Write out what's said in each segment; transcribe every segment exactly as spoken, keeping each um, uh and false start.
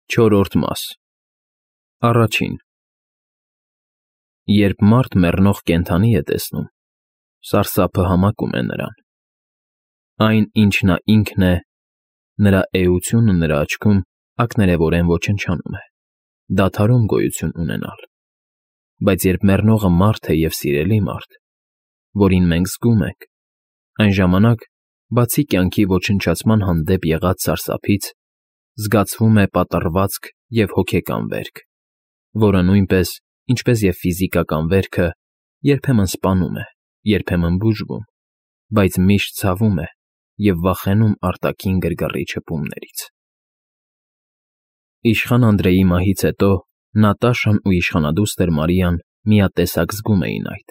Չորրորդ մաս Առաջին Երբ մարդ մեռնող կենդանի է տեսնում, սարսափը համակում է նրան. այն, ինչ նա ինքն է, նրա էությունը նրա աչքում ակներևորեն ոչնչանում է, դադարում գոյություն ունենալ, բայց երբ մեռնողը մարդ է և սիրելի մարդ, որին մենք զգում ենք, այն ժամանակ, բացի կյանքի ոչնչացման հանդեպ եղած սարսափից, զգացվում է պատռվածք և հոգեկան վերք, որը նույնպես, ինչպես և ֆիզիկական վերքը, երբեմն սպանում է, երբեմն բուժվում, բայց միշտ ցավում է և վախենում արտաքին գրգռիչ հպումներից։ Իշխան Անդրեի մահից հետո Նատաշան ու իշխանադուստր Մարիան միատեսակ զգում էին այդ.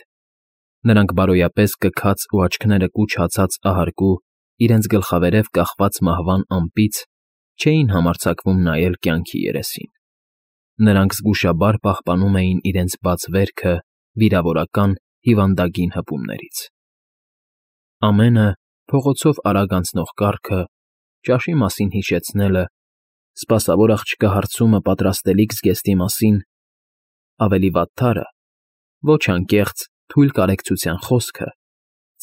նրանք բարոյապես կքած ու աչքները կուչ հացած ահարկու իրենց գլխավերև կախված մահվան ամպից չէին համարձակվում նայել կյանքի երեսին. նրանք զգուշաբար պահպանում էին իրենց բաց վերքը վիրավորական հիվանդագին հպումներից։ Ամենը, փողոցով արագ անցնող կառքը, ճաշի մասին հիշեցնելը, սպասավոր աղջկա հարցումը պատրաստելիք զգեստի մասին, ավելի վատթարը, ոչ անկեղծ, թույլ կարեկցության խոսքը,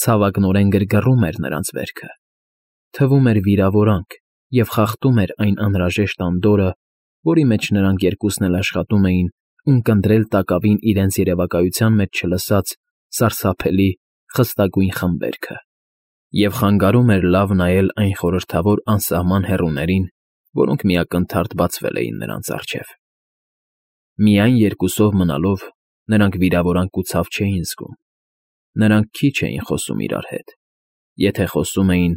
ցավակնորեն գրգռում էր նրանց վերքը, թվում էր վիրավորանք և խախտում էր այն անհրաժեշտ անդորրը, որի մեջ նրանք երկուսն էլ աշխատում էին ունկնդրել տակավին իրենց երևակայության մեջ չլսած սարսափելի, խստագույն խմբերքը, և խանգարում էր լավ նայել այն խորհրդավոր անսահման հեռուներին, որոնք միակնթարթ բացվել էին նրանց առջև։ Միայն երկուսով մնալով նրանք վիրավորանք ու ցավ չէին զգում, նրանք քիչ էին խոսում իրար հետ, եթե խոսում էին,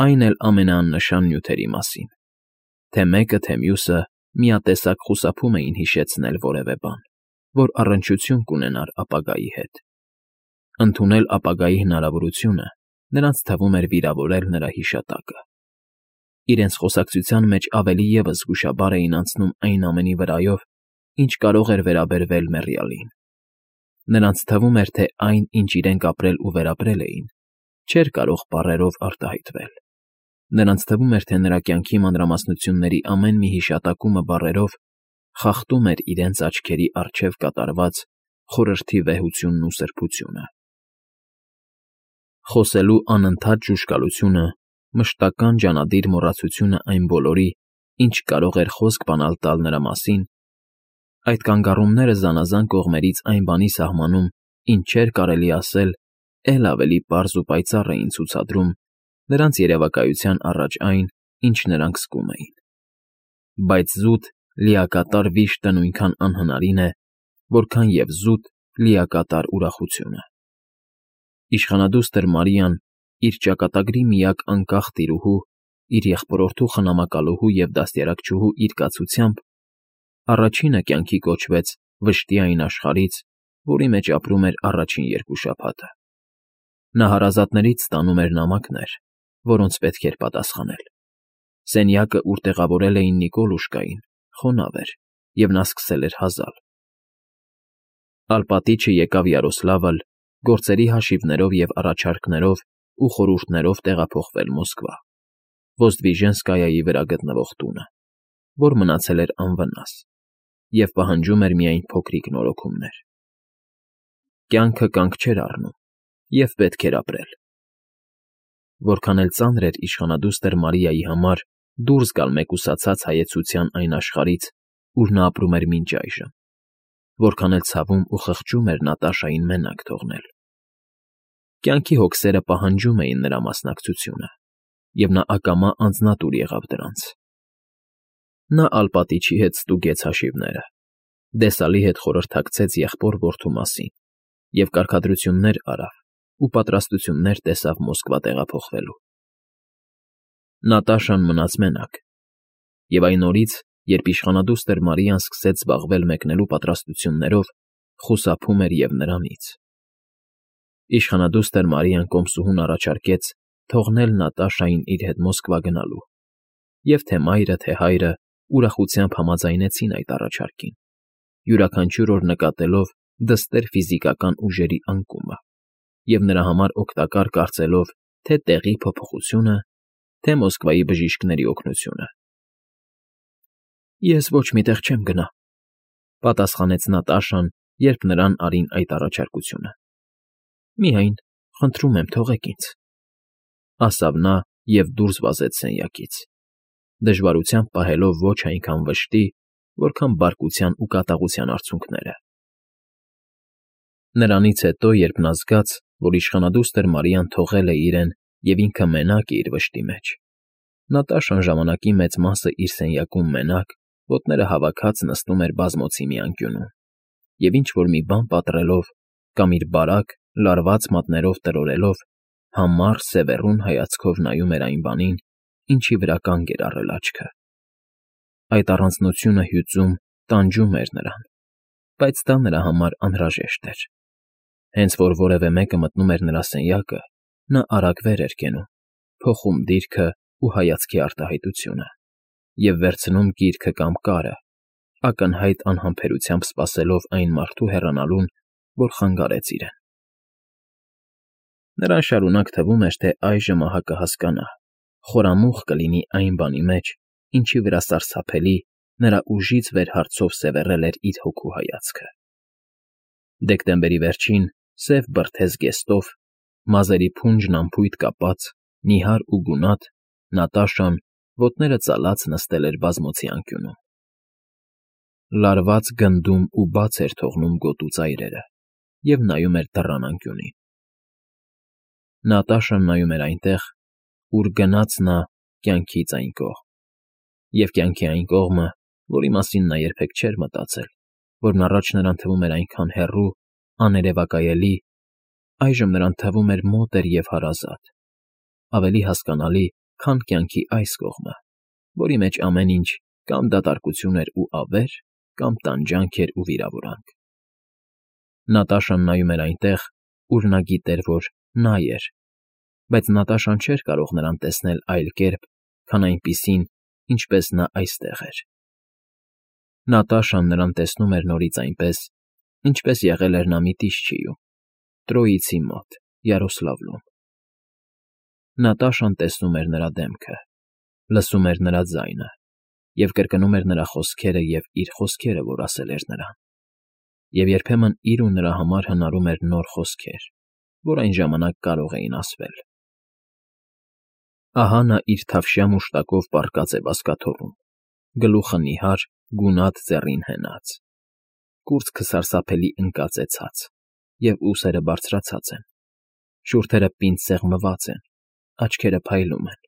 այն էլ ամենաաննշան նյութերի մասին, թե մեկը, թե մյուսը միատեսակ խուսափում էին հիշեցնել որևէ բան, որ առնչություն կունենար ապագայի հետ։ Ընդունել ապագայի հնարավորությունը նրանց թվում էր վիրավորել նրա հիշատակը։ Իրենց խոսակցության մեջ ավելի ևս զգուշաբար էին անցնում այն ամենի վրայով, ինչ կարող էր վերաբերվել մեռյալին։ Նրանց թվում էր, թե այն, ինչ իրենք ապրել ու վերապրել էին, չէր կարող բառերով արտահայտվել։ Նրանց թվում էր, թե նրա կյանքի մանրամասնությունների ամեն մի հիշատակումը բառերով խախտում էր իրենց աչքերի առջև կատարված խորհրդի վեհությունն ու սրբությունը։ Խոսելու անընդհատ ժուժկալությունը, մշտական ջանադիր մոռացությունը այն բոլորի, ինչ կարող էր խոսք բանալ տալ նրա մասին, այդ կանգառումները զանազան կողմերից այն բանի սահմանում, ինչ չէր կարելի ասել, էլ ավելի պարզ ու պայծառ էին ցուցադրում նրանց երևակայության առաջ այն, ինչ նրանք զգում էին։ Բայց զուտ, լիակատար վիշտը նույնքան անհնարին է, որքան և զուտ, լիակատար ուրախությունը։ Իշխանադուստր Մարիան, իր ճակատագրի միակ անկախ տիրուհու, իր եղբորորդու խնամակալուհու և դաստիարակչուհու իր կացությամբ, առաջինը կյանքի կոչվեց վշտի այն աշխարհից, որի մեջ ապրում էր առաջին երկու շաբաթը։ Նա հարազատներից ստանում էր նամակներ, որոնց պետք էր պատասխանել։ Սենյակը, ուր տեղավորել էին Նիկոլուշկային, խոնավ էր, և նա սկսել էր հազալ։ Ալպատիչը եկավ Յարոսլավլ, գործերի հաշիվներով և առաջարկներով ու խորհուրդներով տեղափոխվել Մոսկվա, Ոզդվիժենսկայայի վրա գտնվող տունը, որ մնացել էր անվնաս, և պահանջում էր միայն փոքրիկ նորոգումներ։ Կյանքը կանգ չէր առնում, և պետք էր ապրել։ Որքան էլ ծանր էր իշխանադուստր Մարիայի համար դուրս գալ մեկուսացած հայեցության այն աշխարհից, ուր նա ապրում էր մինչ այժմ, որքան էլ ցավում ու խղճում էր Նատաշային մենակ թողնել։ Կյանքի հոգսերը պահանջում էին նրա մասնակցությունը, և նա ակամա անձնատուր եղավ դրանց։ Նա Ալպատիչի հետ ստուգեց հաշիվները, Դեսալի հետ խորհրդակցեց եղբոր֊որդու մասին և կարգադրություններ արավ ու պատրաստություններ տեսավ Մոսկվա տեղափոխվելու։ Նատաշան մնաց մենակ, և այն օրից, երբ իշխանադուստր Մարիան սկսեց զբաղվել մեկնելու պատրաստություններով, խուսափում էր և նրանից։ Իշխանադուստր Մարիան կոմսուհուն առաջարկեց թողնել Նատաշային իր հետ Մոսկվա գնալու, և թե մայրը, թե հայրը ուրախությամբ համաձայնեցին այդ առաջարկին, յուրաքանչյուր օր նկատելով դստեր ֆիզիկական ուժերի անկումը և նրա համար օգտակար կարծելով թե տեղի փոփոխությունը, թե Մոսկվայի բժիշկների օգնությունը։ Ես ոչ մի տեղ չեմ գնա,֊ պատասխանեց Նատաշան, երբ նրան արին այդ առաջարկությունը։ Միայն, խնդրում եմ, թողեք ինձ,֊ ասավ նա և դուրս վազեց սենյակից, դժվարությամբ պահելով ոչ այնքան վշտի, որքան բարկության ու կատաղության արցունքները։ Նրանից հետո, երբ նա զգաց, որ իշխանադուստր Մարիան թողել է իրեն և ինքը մենակ է իր վշտի մեջ, Նատաշան ժամանակի մեծ մասը իր սենյակում մենակ, ոտները հավաքած նստում էր բազմոցի մի անկյունում և ինչ֊որ մի բան պատռելով կամ իր բարակ, լարված մատներով տրորելով, համառ, սևեռուն հայացքով նայում էր այն բանին, ինչի վրա կանգ էր առել աչքը։ Այդ առանձնությունը հյուծում, տանջում էր նրան, բայց դա նրա համար անհրաժեշտ էր։ Հենց որ որևէ մեկը մտնում էր նրա սենյակը, նա արագ վեր էր կենում, փոխում դիրքը ու հայացքի արտահայտությունը և վերցնում գիրքը կամ կարը, ակնհայտ անհամբերությամբ սպասելով այն մարդու հեռանալուն, որ խանգարեց իրեն։ Նրան շարունակ թվում էր, թե այժմ ահա կհասկանա, խորամուխ կլինի այն բանի մեջ, ինչի վրա սարսափելի, նրա ուժից վեր հարցով սևեռել էր իր հոգու հայացքը։ Դեկտեմբերի վերջին, սև բրդե զգեստով, մազերի փունջն անփույթ կապած, նիհար ու գունատ, Նատաշան, ոտները ծալած նստել էր բազմոցի անկյունում։ Լարված գնդում ու բաց էր թողնում գոտու ծայրերը և նայում էր դռան անկյունին։ Նատաշան նայում էր այնտեղ, ուր գնաց նա կյանքից այն կողմ, և կյանքի այն կողմը, որի մասին նա երբեք չէր մտածել, որն առաջ նրան թվում էր այնքան հեռու, աներևակայելի, այժմ նրան թվում էր մոտ և հարազատ, ավելի հասկանալի, քան կյանքի այս կողմը, որի մեջ ամեն ինչ կամ դատարկություն էր ու ավեր, կամ տանջանք էր ու վիրավորանք։ Նատաշան նայում էր այնտեղ, ուր նա գիտեր, որ նա էր, բայց Նատաշան չէր կարող նրան տեսնել այլ կերպ, քան այնպիսին, ինչպես նա այստեղ էր։ Նատաշան նրան տեսնում էր նորից այնպես, ինչպես եղել էր նա Միտիշչիում, Տրոյիցի մոտ, Յարոսլավլում։ Նատաշան տեսնում էր նրա դեմքը, լսում էր նրա ձայնը և կրկնում էր նրա խոսքերը և իր խոսքերը, որ ասել էր նրան, և երբեմն իր ու նրա համար հնարում էր նոր խոսքեր, որ այն ժամանակ կարող էին ասվել։ Ահա նա իր թավշյա մուշտակով պառկած է բազկաթոռում, գլուխը նիհար, գունատ ձեռին հենած, կուրծքը սարսափելի ընկած է ցած, և ուսերը բարձրացած են, շուրթերը պինդ սեղմված են, աչքերը փայլում են,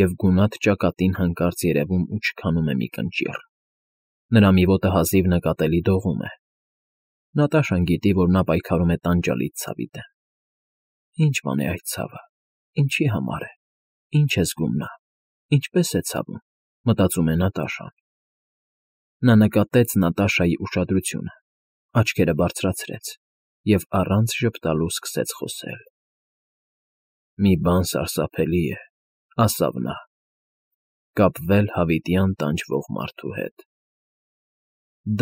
և գունատ ճակատին հանկարծ երևում ու չքանում է մի կնճիռ։ Նրա մի ոտը հազիվ նկատելի դողում է։ Նատաշան գիտի, որ նա պայքարում է տանջալից ցավի դեմ։ Ինչ բան է այդ ցավը, ինչի համար է, ինչ է զգում նա, ինչպես է ցավում, մտածում է Նատաշան։ Նա նկատեց Նատաշայի ուշադրությունը, աչքերը բարձրացրեց և առանց ժպտալու սկսեց խոսել։ «Մի բան սարսափելի է,֊ ասավ նա,֊ կապվել հավիտյան տանջվող մարդու հետ։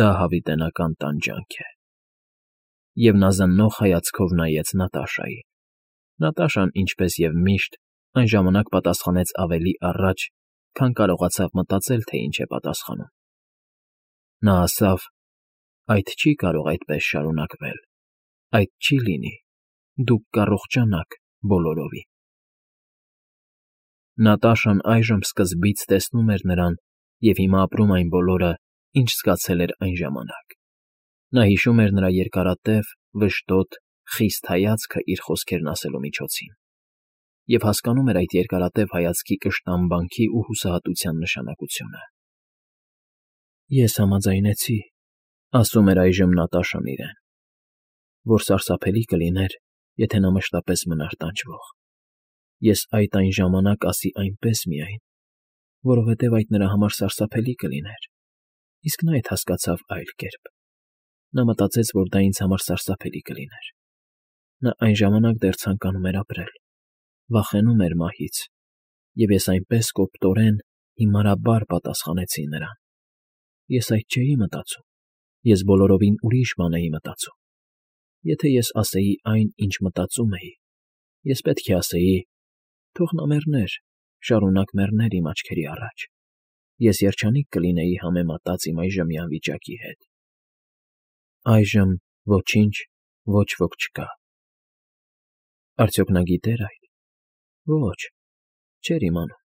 Դա հավիտենական տանջանք է»։ Եվ նա զննող հայացքով նայեց Նատաշային։ Նատաշան, ինչպես և միշտ, այն ժամանակ պատասխանեց ավելի առաջ, քան կարողացավ մտածել, թե ինչ է պատասխանում։ Նա ասավ. «Այդ չի կարող այդպես շարունակվել, այդ չի լինի, դուք կառողջանաք բոլորովին»։ Նատաշան այժմ սկզբից տեսնում էր նրան և հիմա ապրում այն բոլորը, ինչ զգացել էր այն ժամանակ։ Նա հիշում էր նրա երկարատև, վշտոտ, խիստ հայացքը իր խոսքերն ասելու միջոցին և հասկանում էր այդ երկարատև հայացքի կշտամբանքի ու հուսահատության նշանակությունը։ «Ես համաձայնեցի,֊ ասում էր այժմ Նատաշան իրեն,֊ որ սարսափելի կլիներ, եթե նա մշտապես մնար տանջվող։ Ես այդ այն ժամանակ ասի այնպես միայն, որովհետև այդ նրա համար սարսափելի կլիներ, իսկ նա այդ հասկացավ այլ կերպ։ Նա մտածեց, որ դա ինձ համար սարսափելի կլիներ։ Նա այն ժամանակ դեռ ցանկանում էր ապրել, վախենում էր մահից, և ես այնպես կոպտորեն, հիմարաբար պատասխանեցի նրան։ Ես այդ չէի մտածում, ես բոլորովին ուրիշ բան էի մտածում։ Եթե ես ասեի այն, ինչ մտածում էի, ես պետք է ասեի. թող նա մեռներ, շարունակ մեռներ իմ աչքերի առաջ, ես երջանիկ կլինեի համեմատած իմ այժմյան վիճակի հետ։ Այժմ ոչինչ, ոչ ոք չկա։ Արդյոք նա գիտե՞ր այդ։ Ոչ, չէր իմանում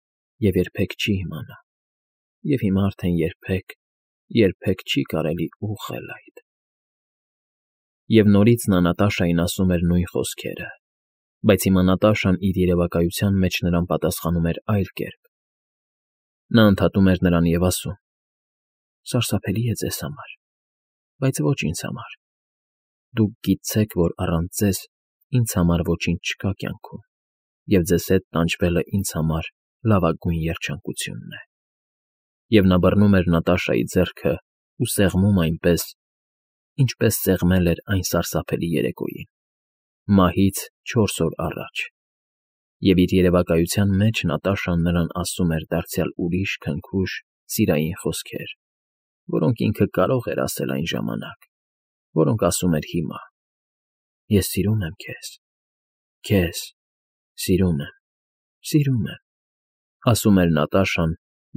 և երբեք չի իմանա։ Եվ հիմա արդեն երբեք, երբեք չի կարելի ուղղել այդ։ Եվ նորից նա Նատաշային ասում էր նույն խոսքերը, բայց հիմա Նատաշան իր երևակայության մեջ նրան պատասխանում էր այլ կերպ։ Նա ընդհատում էր նրան և ասում. «Սարսափելի է ձեզ համար, բայց ոչ ինձ համար։ Դուք գիտցեք, որ առանց ձեզ ինձ համար ոչինչ չկա կյանքում, և ձեզ հետ տանջվելը ինձ համար լավագույն երջանկությունն է»։ Եվ նա բռնում էր Նատաշայի ձեռքը ու սեղմում այնպես, ինչպես սեղմել էր այն սարսափելի երեկոյին, մահից չորս օր առաջ։ Եվ իր երևակայության մեջ Նատաշան նրան ասում էր դարձյալ ուրիշ քնքուշ, սիրային խոսքեր, որոնք ինքը կարող էր ասել այն ժամանակ, որոնք ասում էր հիմա. «Ես սիրում եմ քեզ, քեզ, սիրում եմ, սիրում եմ», ասում էր Նատաշան,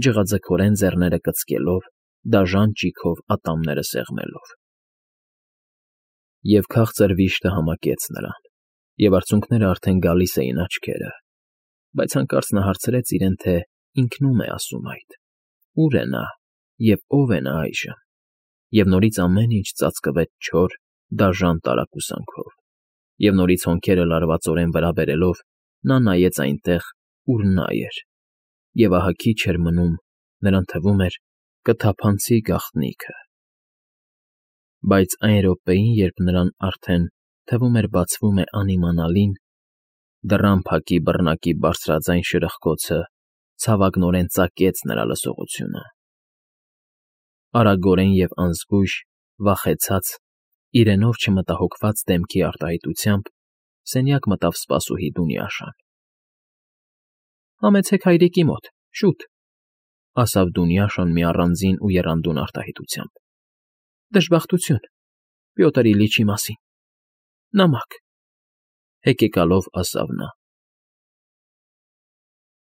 ջղաձգորեն ձեռները կծկելով, դաժան ճիգով ատամները սեղմելով։ Եվ քաղցր վիշտը համակեց նրան, և արցունքները արդեն գալիս էին աչքերը, բայց հանկարծ նա հարցրեց իրեն, թե ինքնու՞մ է ասում այդ, ու՞ր է նա և ո՞վ է նա այժմ, և նորից ամեն ինչ ծածկվեց չոր, դաժան տարակուսանքով, և նորից հոնքերը լարվածորեն վրա բերելով՝ նա նայեց այնտեղ, ուր նա էր, և ահա քիչ էր մնում, նրան թվում էր, կթափանցի գաղտնիքը։ Բայց այն րոպեին, երբ նրան արդեն, թվում էր, բացվում է անիմանալին, դռան փակի բռնակի բարձրաձայն շրխկոցը ցավակնորեն ծակեց նրա լսողությունը։ Արագորեն և անզգույշ, վախեցած, իրենով չմտահոգված դեմքի արտահայտությամբ սենյակ մտավ սպասուհի Դունյաշան։ ֊ Համեցեք հայրիկի մոտ, շուտ, ֊ ասավ Դունյաշան մի առանձին ու եռանդուն արտահայտությամբ։ ֊ Դժբախտություն, Պյոտր Իլիչի մասին, նամակ, հեկեկալով ասավ նա։